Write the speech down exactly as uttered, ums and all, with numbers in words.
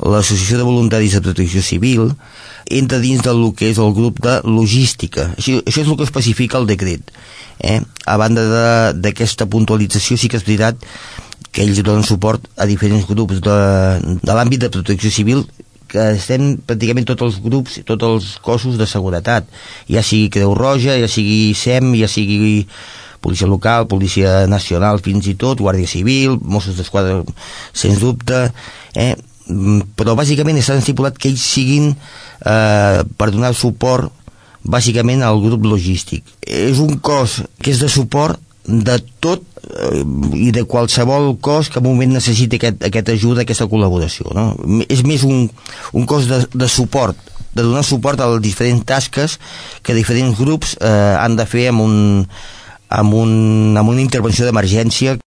l'Associació de Voluntaris de Protecció Civil entra dins del que és el grup de logística. Això, això és el que especifica el decret. Eh? A banda d'aquesta puntualització, sí que és veritat que ells donen suport a diferents grups de, de l'àmbit de protecció civil, que estem pràcticament tots els grups, tots els cossos de seguretat, ja sigui Creu Roja, ja sigui S E M, ja sigui Policia Local, Policia Nacional, fins i tot Guàrdia Civil, Mossos d'Esquadra, sens dubte, eh? Però bàsicament està estipulat que ells siguin eh, per donar suport bàsicament al grup logístic. És un cos que és de suport de tot eh, i de qualsevol cos que en un moment necessiti aquest, aquesta ajuda, aquesta col·laboració, no? És més un, un cos de, de suport, de donar suport a les diferents tasques que diferents grups eh, han de fer amb, un, amb, un, amb una intervenció d'emergència.